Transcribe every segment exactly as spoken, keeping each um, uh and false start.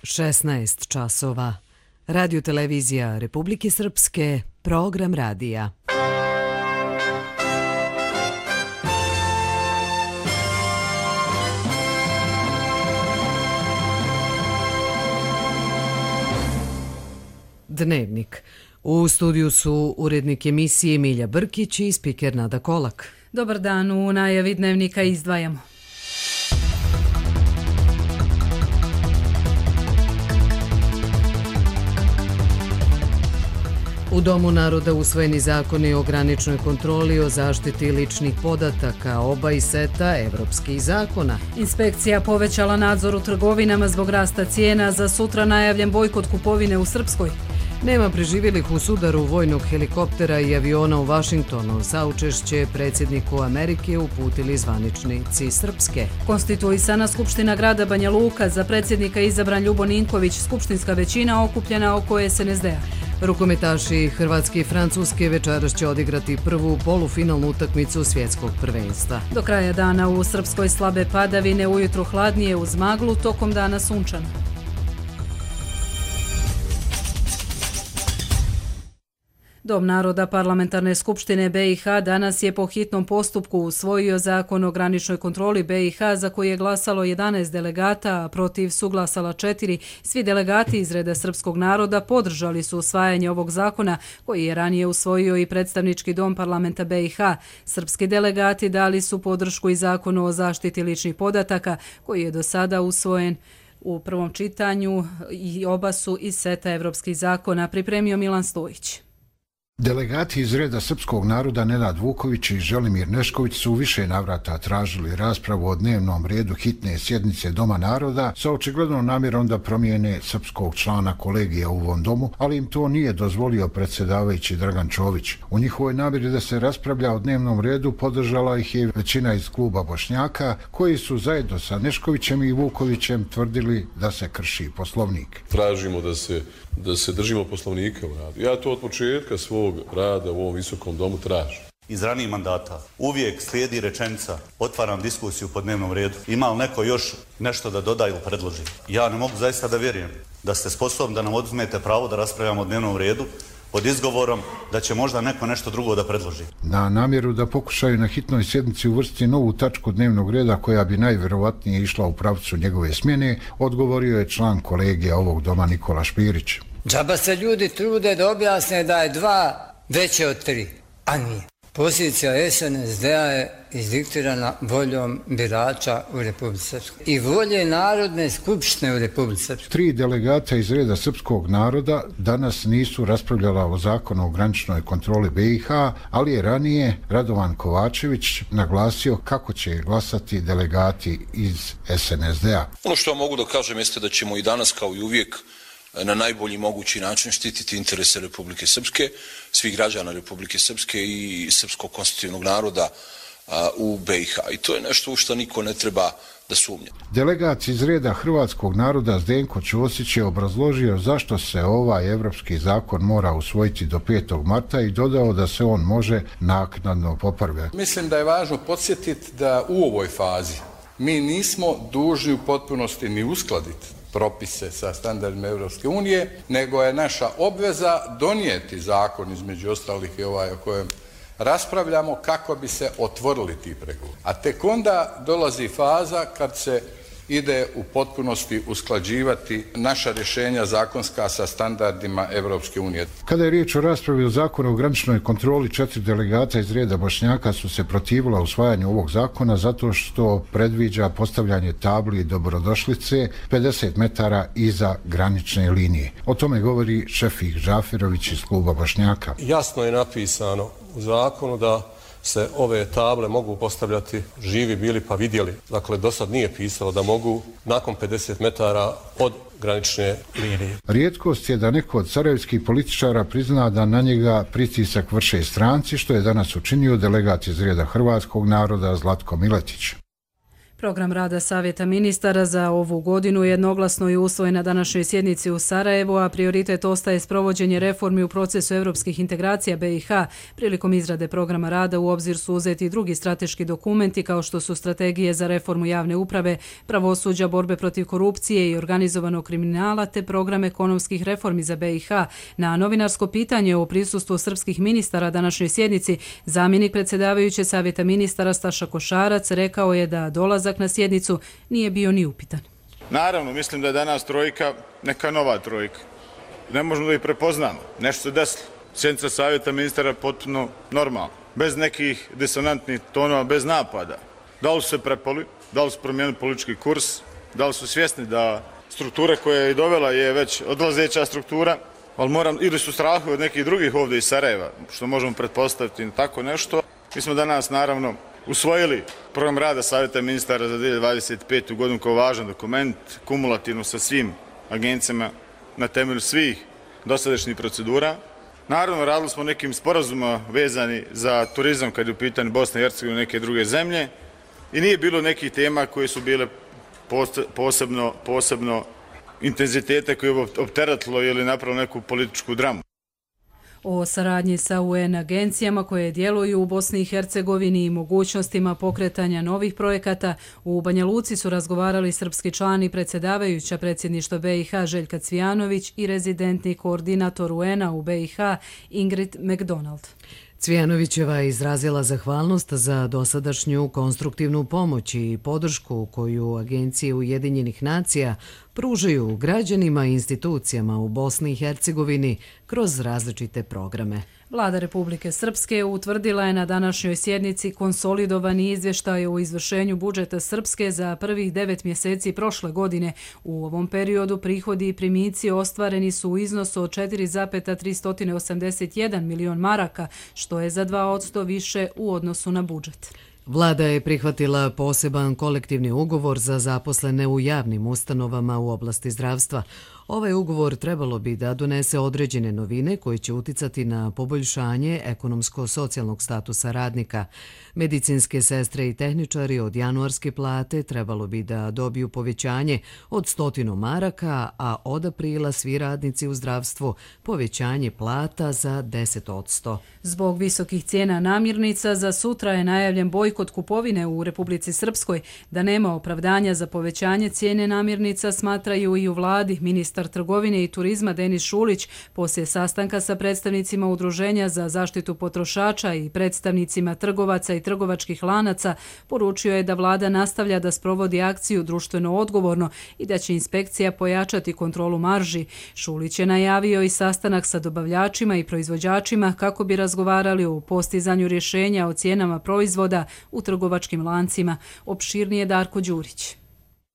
šesnaest časova. Radio televizija Republike Srpske, program radija. Dnevnik. U studiju su urednik emisije Milja Brkić i spiker Nada Kolak. Dobar dan, u najavi dnevnika izdvajamo. U Domu naroda usvojeni zakoni o graničnoj kontroli o zaštiti ličnih podataka, oba iz seta evropskih zakona. Inspekcija povećala nadzor u trgovinama zbog rasta cijena, za sutra najavljen bojkot kupovine u Srpskoj. Nema preživjelih u sudaru vojnog helikoptera i aviona u Vašingtonu. Saučešće predsjedniku Amerike uputili zvaničnici Srpske. Konstituisana Skupština grada Banja Luka, za predsjednika izabran Ljubo Ninković, skupštinska većina okupljena oko es en es de a. Rukometaši Hrvatske i Francuske večeras će odigrati prvu polufinalnu utakmicu svjetskog prvenstva. Do kraja dana u Srpskoj slabe padavine, ujutro hladnije uz maglu, tokom dana sunčano. Dom naroda Parlamentarne skupštine be i ha danas je po hitnom postupku usvojio zakon o graničnoj kontroli be i ha za koji je glasalo jedanaest delegata, a protiv su glasala četiri. Svi delegati iz reda srpskog naroda podržali su usvajanje ovog zakona koji je ranije usvojio i predstavnički dom parlamenta be i ha. Srpski delegati dali su podršku i zakonu o zaštiti ličnih podataka koji je do sada usvojen u prvom čitanju i oba su iz seta evropskih zakona, pripremio Milan Stojić. Delegati iz reda srpskog naroda Nenad Vuković i Želimir Nešković su u više navrata tražili raspravu o dnevnom redu hitne sjednice Doma naroda sa očiglednom namjerom da promijene srpskog člana kolegija u ovom domu, ali im to nije dozvolio predsjedavajući Dragan Čović. U njihovoj namjeri da se raspravlja o dnevnom redu podržala ih je većina iz kluba Bošnjaka, koji su zajedno sa Neškovićem i Vukovićem tvrdili da se krši Poslovnik. Tražimo da se da se držimo Poslovnika u radu. Ja to od početka svog rada u ovom visokom domu tražim. Iz ranijih mandata uvijek slijedi rečenica: otvaram diskusiju po dnevnom redu. Ima li neko još nešto da doda ili predloži? Ja ne mogu zaista da vjerujem da ste sposobni da nam oduzmete pravo da raspravljamo o dnevnom redu pod izgovorom da će možda neko nešto drugo da predloži. Na namjeru da pokušaju na hitnoj sjednici uvrstiti novu tačku dnevnog reda koja bi najvjerovatnije išla u pravcu njegove smjene, odgovorio je član kolegija ovog doma Nikola Špirić. Džaba se ljudi trude da objasne da je dva veće od tri, a nije. Pozicija es en es de a je izdiktirana voljom birača u Republici Srpskoj i volje Narodne skupštine u Republici Srpskoj. Tri delegata iz reda srpskog naroda danas nisu raspravljala o zakonu o graničnoj kontroli be i ha, ali je ranije Radovan Kovačević naglasio kako će glasati delegati iz es en es de a. Ono što mogu da kažem jeste da ćemo i danas kao i uvijek na najbolji mogući način štititi interese Republike Srpske, svih građana Republike Srpske i srpskog konstitutivnog naroda a, u be i ha. I to je nešto u što niko ne treba da sumnja. Delegat iz reda hrvatskog naroda Zdenko Ćosić je obrazložio zašto se ovaj evropski zakon mora usvojiti do petog marta i dodao da se on može naknadno popravljati. Mislim da je važno podsjetiti da u ovoj fazi mi nismo dužni u potpunosti ni uskladiti propise sa standardima Evropske unije, nego je naša obveza donijeti zakon, između ostalih i ovaj o kojem raspravljamo, kako bi se otvorili ti pregovori. A tek onda dolazi faza kad se ide u potpunosti usklađivati naša rješenja zakonska sa standardima Evropske unije. Kada je riječ o raspravi o zakonu o graničnoj kontroli, četiri delegata iz reda Bošnjaka su se protivila usvajanju ovog zakona zato što predviđa postavljanje tabli dobrodošlice pedeset metara iza granične linije. O tome govori Šefik Žafirović iz kluba Bošnjaka. Jasno je napisano u zakonu da se ove table mogu postavljati živi bili pa vidjeli. Dakle, do sad nije pisalo da mogu nakon pedeset metara od granične linije. Rijetkost je da neko od sarajevskih političara prizna da na njega pritisak vrše stranci, što je danas učinio delegat iz reda hrvatskog naroda Zlatko Miletić. Program rada Savjeta ministara za ovu godinu jednoglasno je usvojen na današnjoj sjednici u Sarajevu, a prioritet ostaje sprovođenje reformi u procesu evropskih integracija B i H. Prilikom izrade programa rada u obzir su uzeti i drugi strateški dokumenti kao što su strategije za reformu javne uprave, pravosuđa, borbe protiv korupcije i organizovanog kriminala te program ekonomskih reformi za B i H. Na novinarsko pitanje o prisustvu srpskih ministara današnjoj sjednici, zamjenik predsjedavajuće Savjeta ministara Staša Košarac rekao je da dolazak na sjednicu nije bio ni upitan. Naravno, mislim da je danas trojka neka nova trojka. Ne možemo da ih prepoznamo. Nešto se desilo. Sjednica Savjeta ministara potpuno normalno. Bez nekih disonantnih tonova, bez napada. Da li su se prepali, da li su promijenili politički kurs, da li su svjesni da struktura koja je i dovela je već odlazeća struktura, ali moram, ili su strahu od nekih drugih ovdje iz Sarajeva, što možemo pretpostaviti tako nešto. Mi smo danas, naravno, usvojili program rada Savjeta ministara za dvije hiljade dvadeset petu. godinu kao važan dokument, kumulativno sa svim agencijama na temelju svih dosadašnjih procedura. Naravno, radili smo nekim sporazumima vezani za turizam kad je u pitanju Bosne i Hercegovine i neke druge zemlje i nije bilo nekih tema koje su bile posebno, posebno intenzitete koje je opteretilo ili napravilo neku političku dramu. O saradnji sa U N agencijama koje djeluju u Bosni i Hercegovini i mogućnostima pokretanja novih projekata u Banja Luci su razgovarali srpski član i predsjedavajuća predsjedništva B i H Željka Cvijanović i rezidentni koordinator U N-a u B i H Ingrid McDonald. Cvijanovićeva je izrazila zahvalnost za dosadašnju konstruktivnu pomoć i podršku koju agencije Ujedinjenih nacija pružaju građanima i institucijama u Bosni i Hercegovini kroz različite programe. Vlada Republike Srpske utvrdila je na današnjoj sjednici konsolidovani izvještaj o izvršenju budžeta Srpske za prvih devet mjeseci prošle godine. U ovom periodu prihodi i primici ostvareni su u iznosu od četiri zarez tristo osamdeset jedan milion maraka, što je za dva posto više u odnosu na budžet. Vlada je prihvatila poseban kolektivni ugovor za zaposlene u javnim ustanovama u oblasti zdravstva. Ovaj ugovor trebalo bi da donese određene novine koje će uticati na poboljšanje ekonomsko-socijalnog statusa radnika. Medicinske sestre i tehničari od januarske plate trebalo bi da dobiju povećanje od stotinu maraka, a od aprila svi radnici u zdravstvu povećanje plata za deset posto. Zbog visokih cijena namirnica za sutra je najavljen bojkot kupovine u Republici Srpskoj. Da nema opravdanja za povećanje cijene namirnica, smatraju i u vladi. Ministar trgovine i turizma Denis Šulić poslije sastanka sa predstavnicima Udruženja za zaštitu potrošača i predstavnicima trgovaca i trgovačkih lanaca poručio je da vlada nastavlja da sprovodi akciju društveno odgovorno i da će inspekcija pojačati kontrolu marži. Šulić je najavio i sastanak sa dobavljačima i proizvođačima kako bi razgovarali o postizanju rješenja o cijenama proizvoda u trgovačkim lancima. Opširnije Darko Đurić.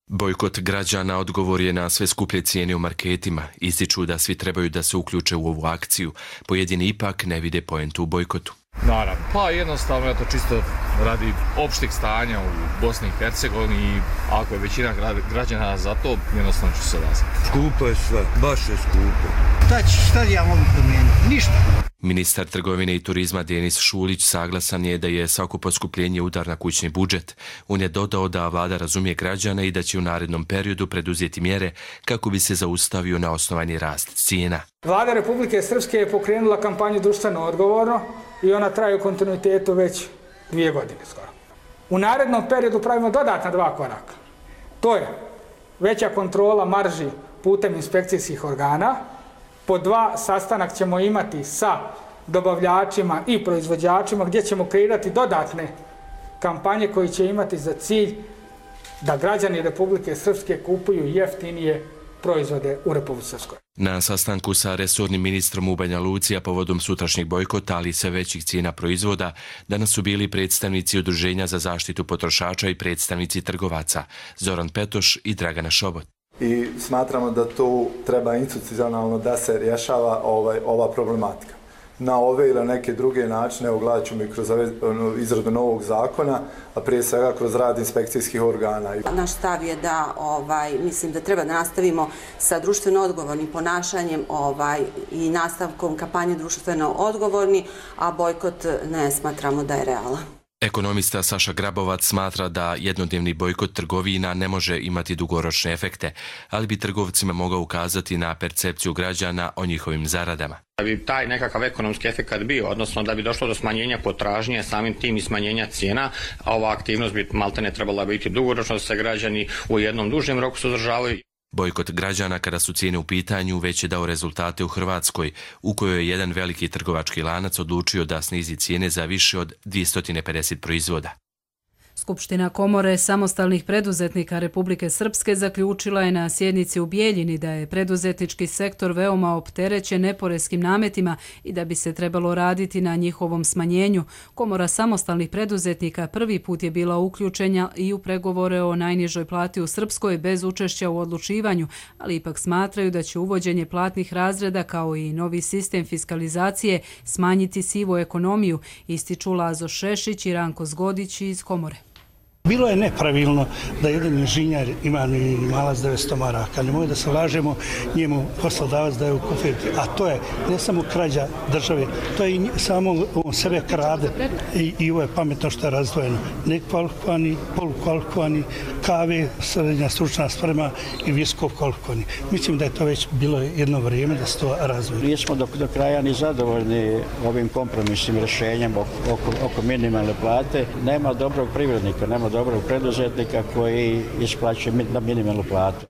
Bojkot građana odgovor je na sve skuplje cijene u marketima. Ističu da svi trebaju da se uključe u ovu akciju. Pojedini ipak ne vide poentu u bojkotu. Naravno, pa jednostavno je to čisto radi opšteg stanja u Bosni i Hercegovini i ako je većina građana za to, jednostavno ću se odazvati. Skupo je sve, baš je skupo. Šta, šta ja mogu promijeniti? Ništa. Ministar trgovine i turizma Denis Šulić saglasan je da je svako poskupljenje udar na kućni budžet. On je dodao da vlada razumije građane i da će u narednom periodu preduzeti mjere kako bi se zaustavio na osnovani rast cijena. Vlada Republike Srpske je pokrenula kampanju društveno odgovorno i ona traje u kontinuitetu već dvije godine skoro. U narednom periodu pravimo dodatna dva koraka. To je veća kontrola marži putem inspekcijskih organa. Po dva, sastanak ćemo imati sa dobavljačima i proizvođačima gdje ćemo kreirati dodatne kampanje koje će imati za cilj da građani Republike Srpske kupuju jeftinije proizvode u Republici Srpskoj. Na sastanku sa resornim ministrom u Banja Luci, a povodom sutrašnjeg bojkota, ali i sve većih cijena proizvoda, danas su bili predstavnici Udruženja za zaštitu potrošača i predstavnici trgovaca Zoran Petoš i Dragana Šobot. I smatramo da tu treba institucionalno da se rješava ovaj, ova problematika. Na ove ili neke druge načine, evo gledat ćemo i kroz izradu novog zakona, a prije svega kroz rad inspekcijskih organa. Naš stav je da ovaj, mislim da treba da nastavimo sa društveno odgovornim ponašanjem ovaj, i nastavkom kampanje društveno odgovorni, a bojkot ne smatramo da je realan. Ekonomista Saša Grabovac smatra da jednodnevni bojkot trgovina ne može imati dugoročne efekte, ali bi trgovcima mogao ukazati na percepciju građana o njihovim zaradama. Da bi taj nekakav ekonomski efekt bio, odnosno da bi došlo do smanjenja potražnje, samim tim i smanjenja cijena, a ova aktivnost bi maltene trebala biti dugoročno, da se građani u jednom dužem roku suzdržavaju. Bojkot građana kada su cijene u pitanju već je dao rezultate u Hrvatskoj, u kojoj je jedan veliki trgovački lanac odlučio da snizi cijene za više od dvjesto pedeset proizvoda. Skupština Komore samostalnih preduzetnika Republike Srpske zaključila je na sjednici u Bijeljini da je preduzetnički sektor veoma opterećen neporeskim nametima i da bi se trebalo raditi na njihovom smanjenju. Komora samostalnih preduzetnika prvi put je bila uključena i u pregovore o najnižoj plati u Srpskoj bez učešća u odlučivanju, ali ipak smatraju da će uvođenje platnih razreda kao i novi sistem fiskalizacije smanjiti sivu ekonomiju, ističu Lazo Šešić i Ranko Zgodić iz Komore. Bilo je nepravilno da jedan inženjer ima minimalac devetsto maraka. Nemoj da se lažemo, njemu poslodavac daje u kufer. A to je ne samo krađa države, to je i samo on sebe krade. I, i ovo je pametno što je razdvojeno. Nekvalifikovani, polukvalifikovani, kave, srednja stručna sprema i visoko kvalifikovani. Mislim da je to već bilo jedno vrijeme da se to razdvoji. Nismo do, do kraja ni zadovoljni ovim kompromisnim rješenjem oko, oko minimalne plate. Nema dobrog privrednika, nema dobrog preduzetnika koji isplaćuje na minimalnu platu.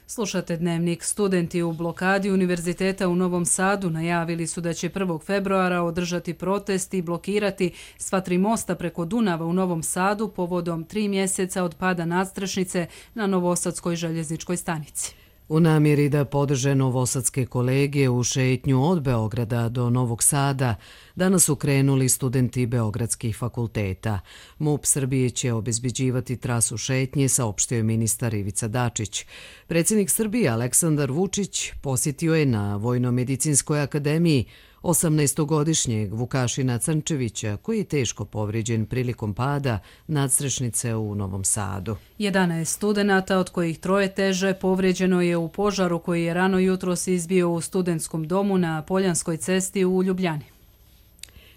Slušate Dnevnik. Studenti u blokadi Univerziteta u Novom Sadu najavili su da će prvog februara održati protest i blokirati sva tri mosta preko Dunava u Novom Sadu povodom tri mjeseca od pada nadstrešnice na Novosadskoj željezničkoj stanici. U namjeri da podrže novosadske kolege u šetnju od Beograda do Novog Sada, danas su krenuli studenti beogradskih fakulteta. MUP Srbije će obezbeđivati trasu šetnje, saopštio je ministar Ivica Dačić. Predsjednik Srbije Aleksandar Vučić posjetio je na Vojno-medicinskoj akademiji osamnaestogodišnjeg Vukašina Crnčevića, koji je teško povrijeđen prilikom pada nadstrešnice u Novom Sadu. jedanaest studenata, od kojih troje teže, povrijeđeno je u požaru koji je rano jutros izbio u studentskom domu na Poljanskoj cesti u Ljubljani.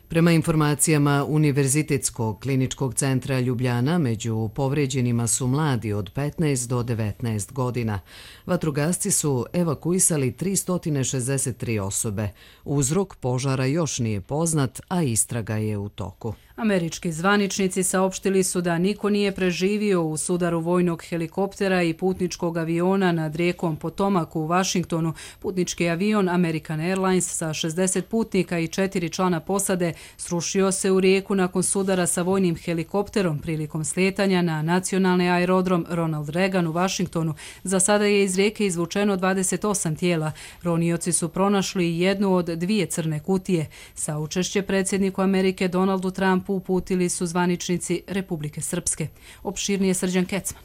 Prema informacijama Univerzitetskog kliničkog centra Ljubljana, među povrijeđenima su mladi od petnaest do devetnaest godina. Vatrogasci su evakuisali tristo šezdeset tri osobe. Uzrok požara još nije poznat, a istraga je u toku. Američki zvaničnici saopštili su da niko nije preživio u sudaru vojnog helikoptera i putničkog aviona nad rijekom Potomac u Vašingtonu. Putnički avion American Airlines sa šezdeset putnika i četiri člana posade srušio se u rijeku nakon sudara sa vojnim helikopterom prilikom slijetanja na nacionalni aerodrom Ronald Reagan u Vašingtonu. Za sada je iz rijeke izvučeno dvadeset osam tijela. Ronioci su pronašli jednu od dvije crne kutije. Saučešće predsjedniku Amerike Donaldu Trumpu uputili su zvaničnici Republike Srpske. Opširnije Srđan Kecman.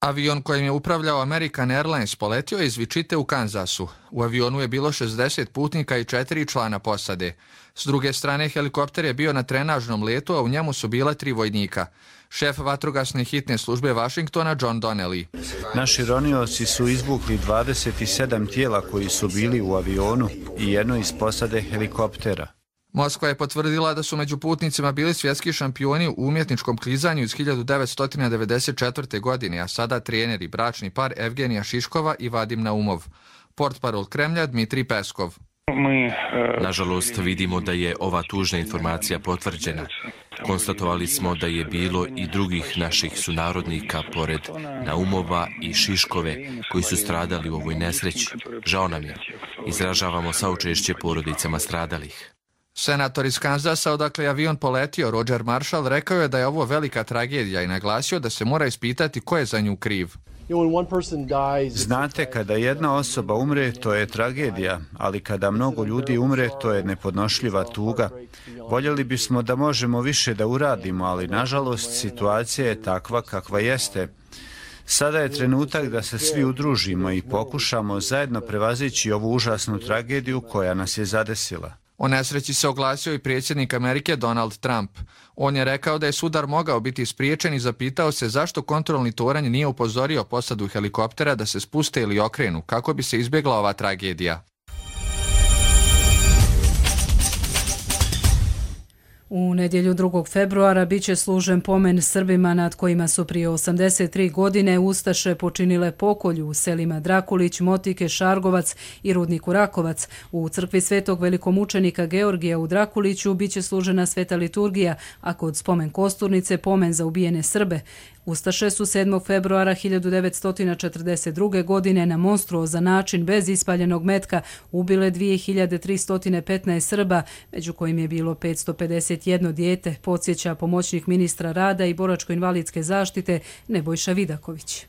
Avion kojim je upravljao American Airlines poletio je iz Wichite u Kansasu. U avionu je bilo šezdeset putnika i četiri člana posade. S druge strane, helikopter je bio na trenažnom letu, a u njemu su bila tri vojnika. Šef vatrogasne hitne službe Vašingtona John Donnelly. Naši ronioci su izvukli dvadeset sedam tijela koji su bili u avionu i jedno iz posade helikoptera. Moskva je potvrdila da su među putnicima bili svjetski šampioni u umjetničkom klizanju iz hiljadu devetsto devedeset četvrte. godine, a sada treneri bračni par Evgenija Šiškova i Vadim Naumov. Portparol Kremlja Dmitrij Peskov. Nažalost, vidimo da je ova tužna informacija potvrđena. Konstatovali smo da je bilo i drugih naših sunarodnika pored Naumova i Šiškove koji su stradali u ovoj nesreći. Žao nam je. Izražavamo saučešće porodicama stradalih. Senator iz Kansasa, odakle je avion poletio, Roger Marshall, rekao je da je ovo velika tragedija i naglasio da se mora ispitati ko je za nju kriv. Znate, kada jedna osoba umre, to je tragedija, ali kada mnogo ljudi umre, to je nepodnošljiva tuga. Voljeli bismo da možemo više da uradimo, ali nažalost situacija je takva kakva jeste. Sada je trenutak da se svi udružimo i pokušamo zajedno prevazići ovu užasnu tragediju koja nas je zadesila. O nesreći se oglasio i predsjednik Amerike Donald Trump. On je rekao da je sudar mogao biti spriječen i zapitao se zašto kontrolni toranj nije upozorio posadu helikoptera da se spuste ili okrenu, kako bi se izbjegla ova tragedija. U nedjelju drugog februara bit će služen pomen Srbima nad kojima su prije osamdeset tri godine ustaše počinile pokolju u selima Drakulić, Motike, Šargovac i Rudniku Rakovac. U crkvi svetog velikomučenika Georgija u Drakuliću bit će služena sveta liturgija, a kod spomen kosturnice pomen za ubijene Srbe. Ustaše su sedmog februara hiljadu devetsto četrdeset druge. godine na monstruozan način bez ispaljenog metka ubile dvije hiljade tristo petnaest Srba, među kojim je bilo petsto pedeset jedno dijete, podsjeća pomoćnik ministra rada i boračko-invalidske zaštite Nebojša Vidaković.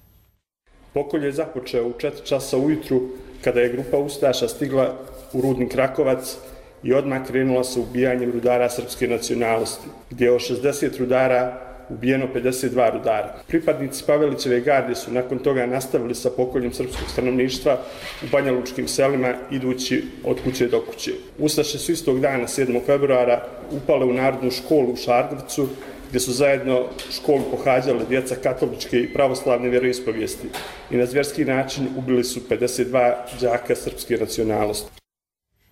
Pokolj je započeo u četiri časa ujutru kada je grupa ustaša stigla u Rudnik Rakovac i odmah krenula sa ubijanjem rudara srpske nacionalnosti, gdje je od šezdeset rudara ubijeno pedeset dva rudara. Pripadnici Pavelićeve garde su nakon toga nastavili sa pokoljem srpskog stanovništva u banjalučkim selima idući od kuće do kuće. Ustaše su istog dana, sedmog februara, upale u narodnu školu u Šargovcu, gdje su zajedno školu pohađale djeca katoličke i pravoslavne vjeroispovijesti i na zvjerski način ubili su pedeset dva đaka srpske nacionalnosti.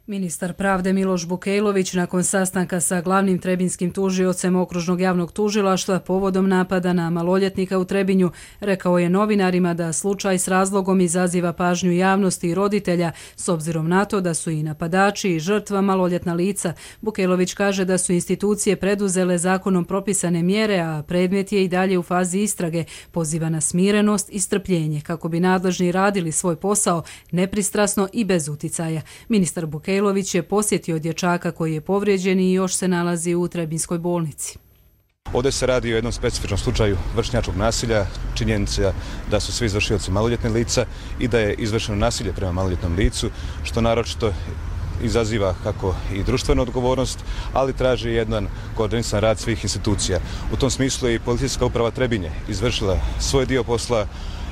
Ministar pravde Miloš Bukejlović nakon sastanka sa glavnim trebinskim tužiocem okružnog javnog tužilaštva povodom napada na maloljetnika u Trebinju rekao je novinarima da slučaj s razlogom izaziva pažnju javnosti i roditelja s obzirom na to da su i napadači i žrtva maloljetna lica. Bukejlović kaže da su institucije preduzele zakonom propisane mjere, a predmet je i dalje u fazi istrage. Poziva na smirenost i strpljenje kako bi nadležni radili svoj posao nepristrasno i bez uticaja. Ministar Bukejlović Bukejlović je posjetio dječaka koji je povrijeđen i još se nalazi u Trebinskoj bolnici. Ovdje se radi o jednom specifičnom slučaju vršnjačkog nasilja, činjenica da su svi izvršioci maloljetne lica i da je izvršeno nasilje prema maloljetnom licu, što naročito izaziva kako i društvenu odgovornost, ali traži jedan koordinisan rad svih institucija. U tom smislu je i policijska uprava Trebinje izvršila svoj dio posla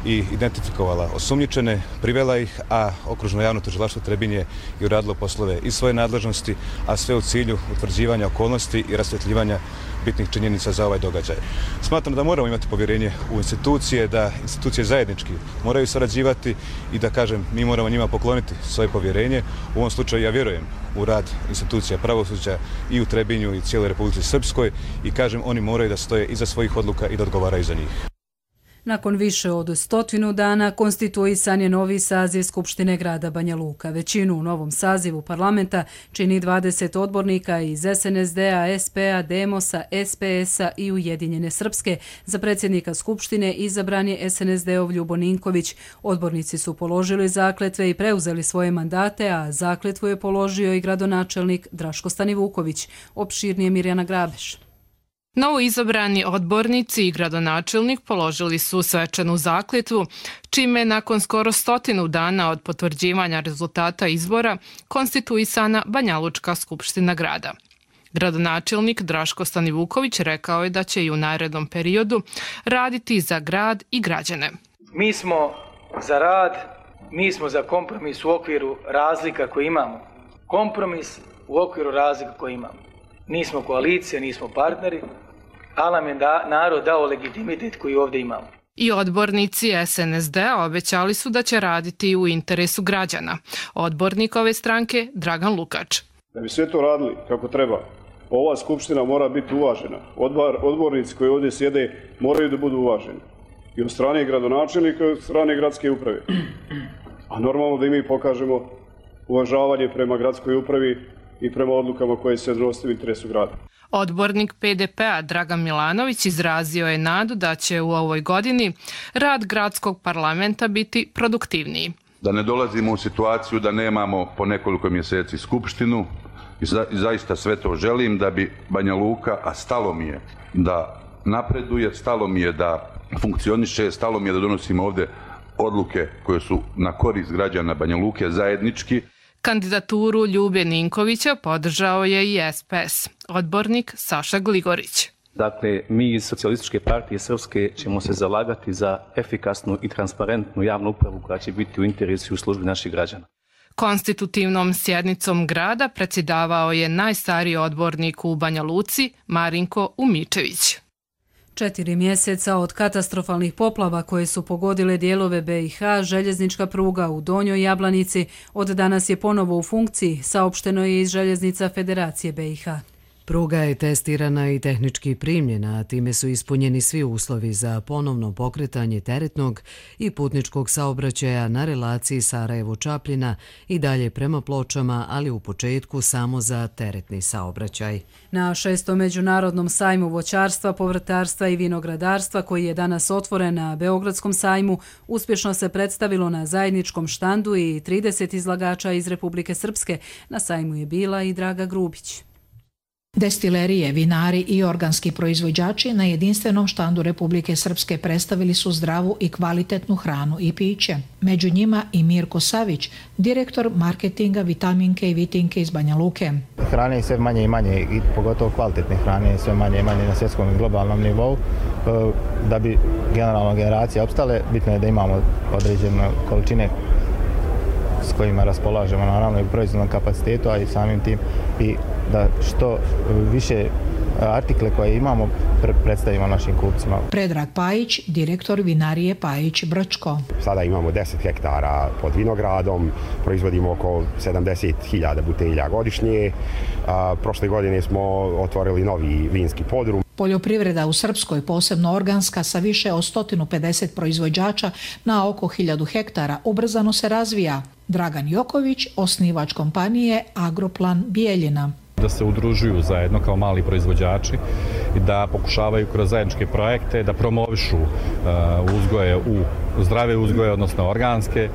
i identifikovala osumnjičene, privela ih, a okružno javno tužilaštvo Trebinje je uradilo poslove iz svoje nadležnosti, a sve u cilju utvrđivanja okolnosti i rasvjetljivanja bitnih činjenica za ovaj događaj. Smatram da moramo imati povjerenje u institucije, da institucije zajednički moraju sarađivati i da, kažem, mi moramo njima pokloniti svoje povjerenje. U ovom slučaju ja vjerujem u rad institucija pravosuđa i u Trebinju i cijeloj Republici Srpskoj i, kažem, oni moraju da stoje iza svojih odluka i da odgovaraju za njih. Nakon više od stotinu dana konstituisan je novi saziv Skupštine grada Banja Luka. Većinu u novom sazivu parlamenta čini dvadeset odbornika iz es en es de a, es pe a, Demosa, es pe es a i Ujedinjene Srpske. Za predsjednika Skupštine izabran je es en es de-ov Ljubo Ninković. Odbornici su položili zakletve i preuzeli svoje mandate, a zakletvu je položio i gradonačelnik Draško Stanivuković. Opširnije Mirjana Grabeš. Novo izabrani odbornici i gradonačelnik položili su svečanu zakletvu, čime nakon skoro stotinu dana od potvrđivanja rezultata izbora konstituisana Banjalučka skupština grada. Gradonačelnik Draško Stanivuković rekao je da će i u narednom periodu raditi za grad i građane. Mi smo za rad, mi smo za kompromis u okviru razlika koje imamo. Kompromis u okviru razlika koje imamo. Nismo koalicija, nismo partneri, ali nam je da, narod dao legitimitet koji ovdje imamo. I odbornici es en es de a obećali su da će raditi u interesu građana. Odbornik ove stranke Dragan Lukač. Da bi sve to radili kako treba, ova skupština mora biti uvažena. Odbar, odbornici koji ovdje sjede moraju da budu uvaženi. I od strane gradonačelnika i od strane gradske uprave. A normalno da i mi pokažemo uvažavanje prema gradskoj upravi i prema odlukama koje se donose u interesu grada. Odbornik pe de pe a Dragan Milanović izrazio je nadu da će u ovoj godini rad gradskog parlamenta biti produktivniji. Da ne dolazimo u situaciju da nemamo po nekoliko mjeseci skupštinu i za, zaista sve to želim da bi Banja Luka, a stalo mi je da napreduje, stalo mi je da funkcioniše, stalo mi je da donosimo ovdje odluke koje su na korist građana Banja Luke zajednički. Kandidaturu Ljube Ninkovića podržao je i es pe es, odbornik Saša Gligorić. Dakle, mi iz Socijalističke partije Srpske ćemo se zalagati za efikasnu i transparentnu javnu upravu koja će biti u interesu i u službi naših građana. Konstitutivnom sjednicom grada predsjedavao je najstariji odbornik u Banja Luci, Marinko Umičević. Četiri mjeseca od katastrofalnih poplava koje su pogodile dijelove be i ha, željeznička pruga u Donjoj Jablanici od danas je ponovo u funkciji, saopšteno je iz Željeznica Federacije be i ha. Pruga je testirana i tehnički primljena, a time su ispunjeni svi uslovi za ponovno pokretanje teretnog i putničkog saobraćaja na relaciji Sarajevo-Čapljina i dalje prema Pločama, ali u početku samo za teretni saobraćaj. Na šestom međunarodnom sajmu voćarstva, povrtarstva i vinogradarstva, koji je danas otvoren na Beogradskom sajmu, uspješno se predstavilo na zajedničkom štandu i trideset izlagača iz Republike Srpske. Na sajmu je bila i Draga Grubić. Destilerije, vinari i organski proizvođači na jedinstvenom štandu Republike Srpske predstavili su zdravu i kvalitetnu hranu i piće. Među njima i Mirko Savić, direktor marketinga Vitaminke i Vitinke iz Banja Luke. Hrane je sve manje i manje, i pogotovo kvalitetne hrane je sve manje i manje na svjetskom i globalnom nivou. Da bi generalno generacije opstale, bitno je da imamo određene količine s kojima raspolažemo, naravno i u proizvodnom kapacitetu, a i samim tim i da što više artikle koje imamo predstavimo našim kupcima. Predrag Pajić, direktor vinarije Pajić Brčko. Sada imamo deset hektara pod vinogradom, proizvodimo oko sedamdeset hiljada butelja godišnje. A, prošle godine smo otvorili novi vinski podrum. Poljoprivreda u Srpskoj, posebno organska, sa više od sto pedeset proizvođača na oko hiljadu hektara, ubrzano se razvija. Dragan Joković, osnivač kompanije Agroplan Bijeljina. Da se udružuju zajedno kao mali proizvođači i da pokušavaju kroz zajedničke projekte da promovišu uh, uzgoje u zdrave uzgoje, odnosno organske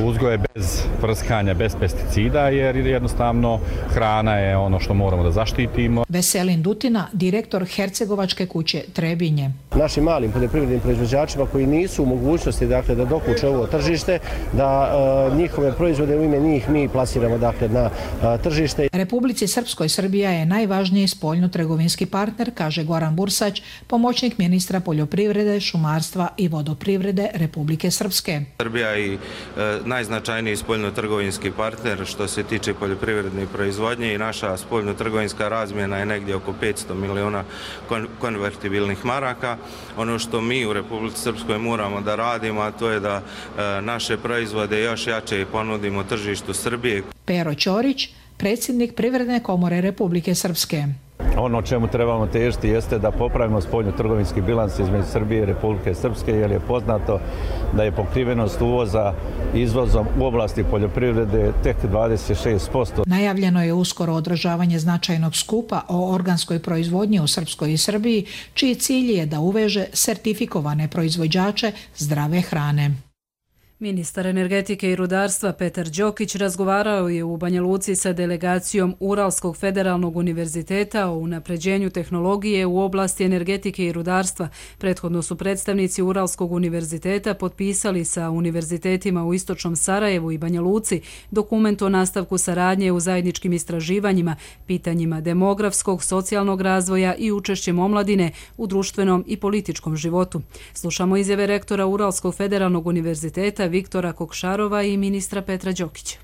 uzgoje bez prskanja, bez pesticida, jer jednostavno hrana je ono što moramo da zaštitimo. Veselin Dutina, direktor Hercegovačke kuće Trebinje. Našim malim poljoprivrednim proizvođačima koji nisu u mogućnosti dakle, da dokuče ovo tržište, da uh, njihove proizvode u ime njih mi plasiramo dakle, na uh, tržište. Republici Srpskoj Srbija je najvažniji spoljno-trgovinski partner, kaže Goran Bursać, pomoćnik ministra poljoprivrede, šumarstva i vodoprivrede Republike Srpske. Srbija je e, najznačajniji spoljno-trgovinski partner što se tiče poljoprivredne proizvodnje i naša spoljno-trgovinska razmjena je negdje oko petsto miliona kon konvertibilnih maraka. Ono što mi u Republici Srpskoj moramo da radimo, a to je da e, naše proizvode još jače ponudimo tržištu Srbije. Pero Ćorić, predsjednik Privredne komore Republike Srpske. Ono čemu trebamo težiti jeste da popravimo spoljno-trgovinski bilans između Srbije i Republike Srpske, jer je poznato da je pokrivenost uvoza izvozom u oblasti poljoprivrede tek dvadeset šest posto. Najavljeno je uskoro održavanje značajnog skupa o organskoj proizvodnji u Srpskoj i Srbiji, čiji cilj je da uveže sertifikovane proizvođače zdrave hrane. Ministar energetike i rudarstva Petar Đokić razgovarao je u Banja Luci sa delegacijom Uralskog federalnog univerziteta o unapređenju tehnologije u oblasti energetike i rudarstva. Prethodno su predstavnici Uralskog univerziteta potpisali sa univerzitetima u Istočnom Sarajevu i Banja Luci dokument o nastavku saradnje u zajedničkim istraživanjima, pitanjima demografskog, socijalnog razvoja i učešćem omladine u društvenom i političkom životu. Slušamo izjave rektora Uralskog federalnog univerziteta Viktora Kokšarova i ministra Petra Đokića.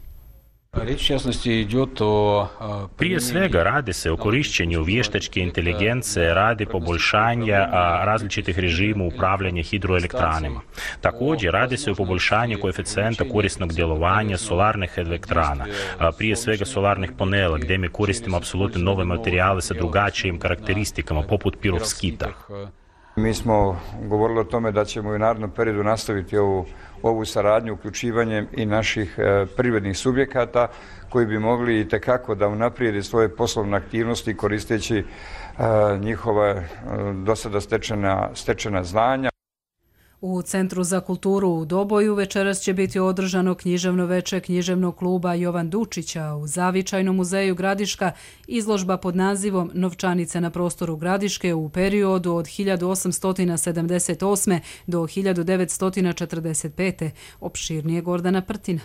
Prije svega radi se o korišćenju vještačke inteligencije radi poboljšanja različitih režima upravljanja hidroelektranima. Također radi se o poboljšanju koeficijenta korisnog djelovanja solarnih elektrana, prije svega solarnih panela, gdje mi koristimo apsolutno nove materijale sa drugačijim karakteristikama, poput pirovskita. Mi smo govorili o tome da ćemo u narednom periodu nastaviti ovu, ovu saradnju uključivanjem i naših e, privrednih subjekata koji bi mogli i tekako da unaprijede svoje poslovne aktivnosti koristeći e, njihova e, do sada stečena, stečena znanja. U Centru za kulturu u Doboju večeras će biti održano književno veče književnog kluba Jovan Dučića. U Zavičajnom muzeju Gradiška izložba pod nazivom Novčanice na prostoru Gradiške u periodu od hiljadu osamsto sedamdeset osme do hiljadu devetsto četrdeset pete. Opširnije Gordana Prtina.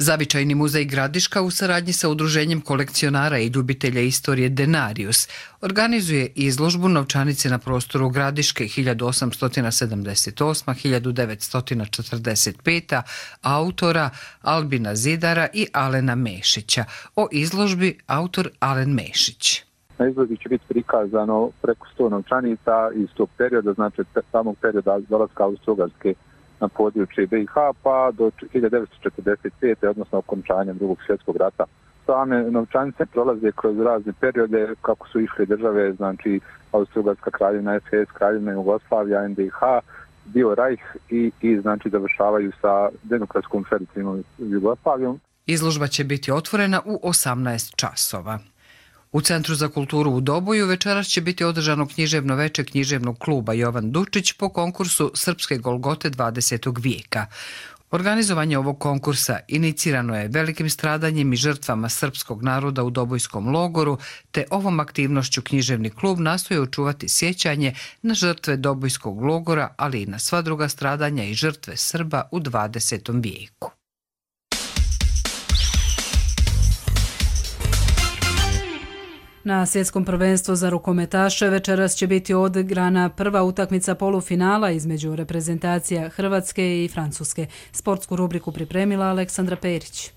Zavičajni muzej Gradiška u saradnji sa Udruženjem kolekcionara i ljubitelja istorije Denarius organizuje izložbu Novčanice na prostoru Gradiške hiljadu osamsto sedamdeset osma do hiljadu devetsto četrdeset peta autora Albina Zidara i Alena Mešića. O izložbi autor Alen Mešić. Na izložbi će biti prikazano preko sto novčanica iz tog perioda, znači samog perioda dolaska Austro-Ugarske na područje B i H pa do hiljadu devetsto četrdeset pete odnosno okončanja drugog svjetskog rata same novčanice prolaze kroz razne periode kako su išle države, znači Austro-Ugarska kraljevina, es es, kraljevina Jugoslavija, en de ha, dio Rajh i, i znači završavaju sa demokratskom federativnom Jugoslavijom. Izložba će biti otvorena u osamnaest časova. U Centru za kulturu u Doboju večeras će biti održano književno veče književnog kluba Jovan Dučić po konkursu Srpske Golgote dvadesetog vijeka. Organizovanje ovog konkursa inicirano je velikim stradanjem i žrtvama srpskog naroda u Dobojskom logoru, te ovom aktivnošću književni klub nastoji očuvati sjećanje na žrtve Dobojskog logora, ali i na sva druga stradanja i žrtve Srba u dvadesetom vijeku. Na svjetskom prvenstvu za rukometaše večeras će biti odigrana prva utakmica polufinala između reprezentacija Hrvatske i Francuske. Sportsku rubriku pripremila Aleksandra Perić.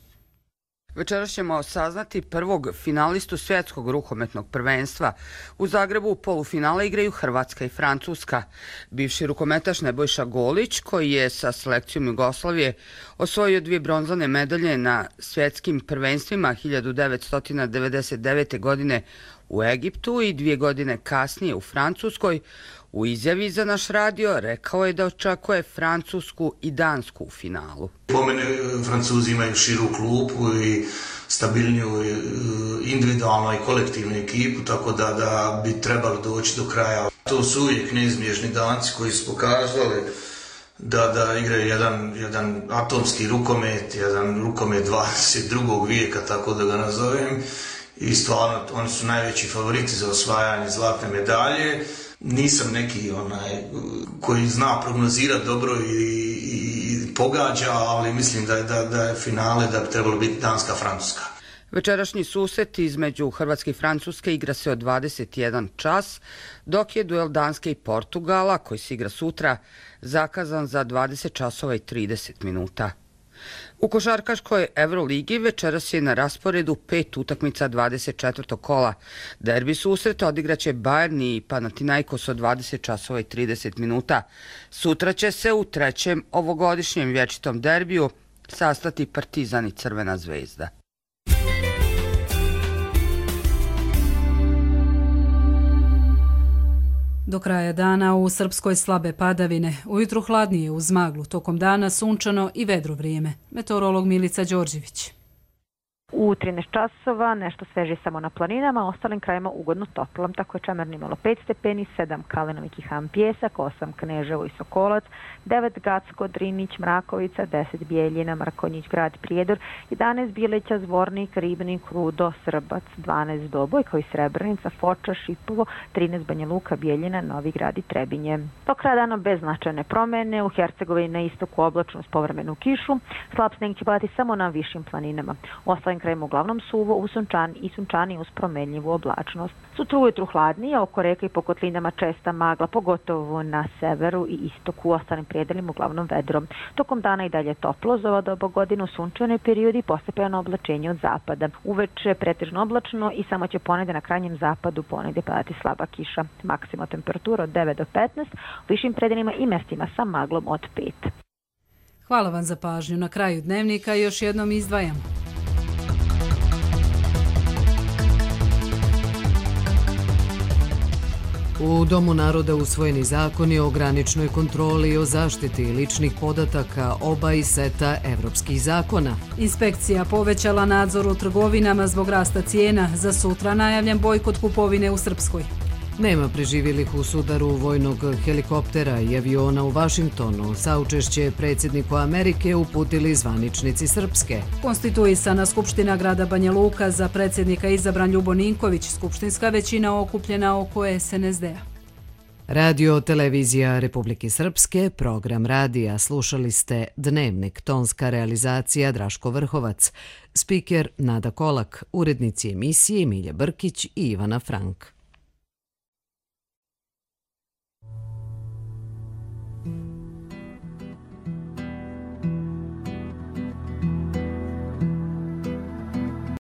Večeras ćemo saznati prvog finalistu svjetskog rukometnog prvenstva. U Zagrebu u polufinale igraju Hrvatska i Francuska. Bivši rukometaš Nebojša Golić, koji je sa selekcijom Jugoslavije osvojio dvije bronzane medalje na svjetskim prvenstvima hiljadu devetsto devedeset devete. godine u Egiptu i dvije godine kasnije u Francuskoj, u izjavi za naš radio rekao je da očekuje Francusku i Dansku u finalu. Po mene Francuzi imaju širu klupu i stabilniju individualnu i kolektivnu ekipu, tako da, da bi trebali doći do kraja. To su uvijek neizbježni Danci koji su pokazali da, da igraju jedan, jedan atomski rukomet, jedan rukomet dvadeset drugog vijeka, tako da ga nazovem. I stvarno, oni su najveći favoriti za osvajanje zlatne medalje. Nisam neki onaj koji zna prognozirati dobro i, i, i pogađa, ali mislim da je, da, da je finale da bi trebalo biti Danska-Francuska. Večerašnji susret između Hrvatske i Francuske igra se od dvadeset jedan čas, dok je duel Danske i Portugala, koji se igra sutra, zakazan za dvadeset časova i trideset minuta. U košarkaškoj Euroligi večeras je na rasporedu pet utakmica dvadeset četvrtog kola. Derbi susreta odigraće Bayern i Panathinaikos od dvadeset časova i trideset minuta. Sutra će se u trećem ovogodišnjem vječitom derbiju sastati Partizan i Crvena zvezda. Do kraja dana u Srpskoj slabe padavine, ujutru hladnije uz maglu, tokom dana sunčano i vedro vrijeme. Meteorolog Milica Đorđević. U trinaest časova nešto sveže samo na planinama, ostalim krajima ugodno toplo. Tako je Čemerni imalo pet stepeni, sedam Kalinović i Han Pjesak, osam Kneževo i Sokolac, devet Gacko, Drinić, Mrakovica, deset Bijeljina, Mrkonjić, Grad Prijedor, jedanaest Bileća, Zvornik, Ribnik, Rudo, Srbac, dvanaest Doboj, kao i Srebrenica, Foča, Šipovo, trinaest Banja Luka, Bijeljina, Novi Grad i Trebinje. Do kraja dana bez značajne promjene, u Hercegovini na istoku oblačno s povremenu kišu, slab sneg će padati samo na višim planinama. Ostalim krajima uglavnom suvo, u sunčani i sunčani uz promenljivu oblačnost. Sutra ujutru hladnije, oko reka i po kotlinama česta magla, pogotovo na severu i istoku, u ostalim prijedelima uglavnom vedro. Tokom dana i dalje toplo, za ovo doba godine u sunčanoj periodi i postepeno oblačenje od zapada. Uveče pretežno oblačno i samo će ponegde na krajnjem zapadu ponegde padati slaba kiša. Maksimalna temperatura od devet do petnaest, u višim predelima i mestima sa maglom od pet. Hvala vam za pažnju. Na kraju dnevnika još jednom izdvajam. U Domu naroda usvojeni zakoni o graničnoj kontroli i o zaštiti ličnih podataka oba i seta evropskih zakona. Inspekcija povećala nadzor u trgovinama zbog rasta cijena. Za sutra najavljen bojkot kupovine u Srpskoj. Nema preživjelih u sudaru vojnog helikoptera i aviona u Vašingtonu. Saučešće predsjedniku Amerike uputili zvaničnici Srpske. Konstituisana Skupština grada Banja Luka, za predsjednika izabran Ljubo Ninković, skupštinska većina okupljena oko es en es de a. Radio Televizija Republike Srpske, program radija. Slušali ste Dnevnik, tonska realizacija Draško Vrhovac, spiker Nada Kolak, urednici emisije Milja Brkić i Ivana Frank. Thank you.